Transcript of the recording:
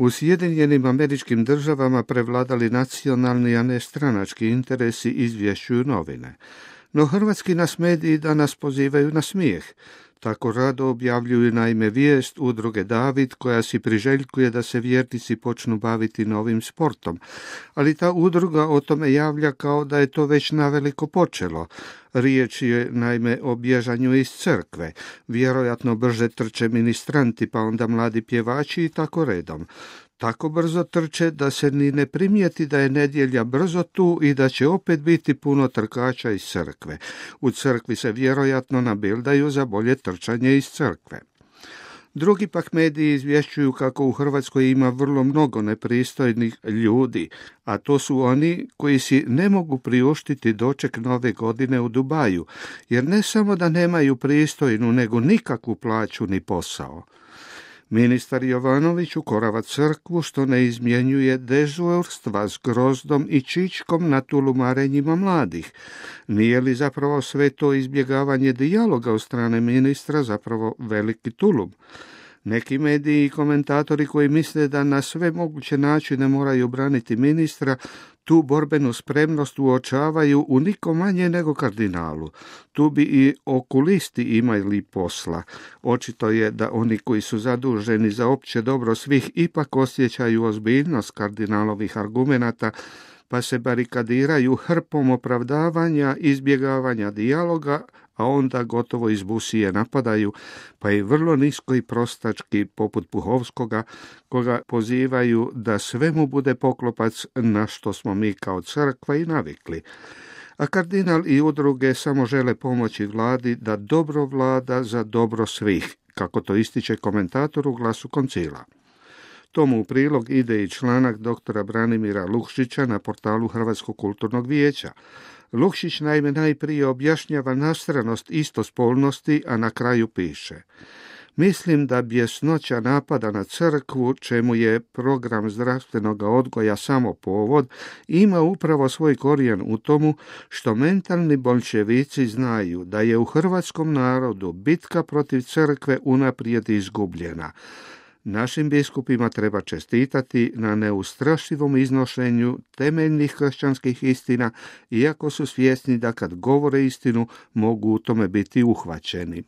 U Sjedinjenim Američkim Državama prevladali nacionalni, a ne stranački interesi, izvješćuju novine. No hrvatski nas mediji danas pozivaju na smijeh. Tako rado objavljuju naime vijest udruge David koja si priželjkuje da se vjernici počnu baviti novim sportom. Ali ta udruga o tome javlja kao da je to već naveliko počelo. Riječ je naime o bježanju iz crkve. Vjerojatno brže trče ministranti, pa onda mladi pjevači i tako redom. Tako brzo trče da se ni ne primijeti da je nedjelja brzo tu i da će opet biti puno trkača iz crkve. U crkvi se vjerojatno nabildaju za bolje trčanje iz crkve. Drugi pak mediji izvješćuju kako u Hrvatskoj ima vrlo mnogo nepristojnih ljudi, a to su oni koji si ne mogu priuštiti doček nove godine u Dubaju, jer ne samo da nemaju pristojnu, nego nikakvu plaću ni posao. Ministar Jovanović ukorava crkvu što ne izmjenjuje dežurstva s grozdom i čičkom na tulumarenjima mladih. Nije li zapravo sve to izbjegavanje dijaloga od strane ministra zapravo veliki tulum? Neki mediji i komentatori koji misle da na sve moguće načine moraju braniti ministra, tu borbenu spremnost uočavaju u niko manje nego kardinalu. Tu bi i okulisti imali posla. Očito je da oni koji su zaduženi za opće dobro svih ipak osjećaju ozbiljnost kardinalovih argumenata, pa se barikadiraju hrpom opravdavanja, izbjegavanja dijaloga, a onda gotovo iz busije napadaju, pa i vrlo nisko i prostački poput Puhovskoga, koga pozivaju da sve mu bude poklopac, na što smo mi kao crkva i navikli. A kardinal i udruge samo žele pomoći vladi da dobro vlada za dobro svih, kako to ističe komentator u Glasu koncila. Tomu u prilog ide i članak doktora Branimira Lukšića na portalu Hrvatskog kulturnog vijeća. Lukšić naime najprije objašnjava nastranost istospolnosti, a na kraju piše: mislim da bjesnoća napada na crkvu, čemu je program zdravstvenog odgoja samo povod, ima upravo svoj korijen u tomu što mentalni boljševici znaju da je u hrvatskom narodu bitka protiv crkve unaprijed izgubljena. Našim biskupima treba čestitati na neustrašivom iznošenju temeljnih kršćanskih istina, iako su svjesni da kad govore istinu mogu u tome biti uhvaćeni.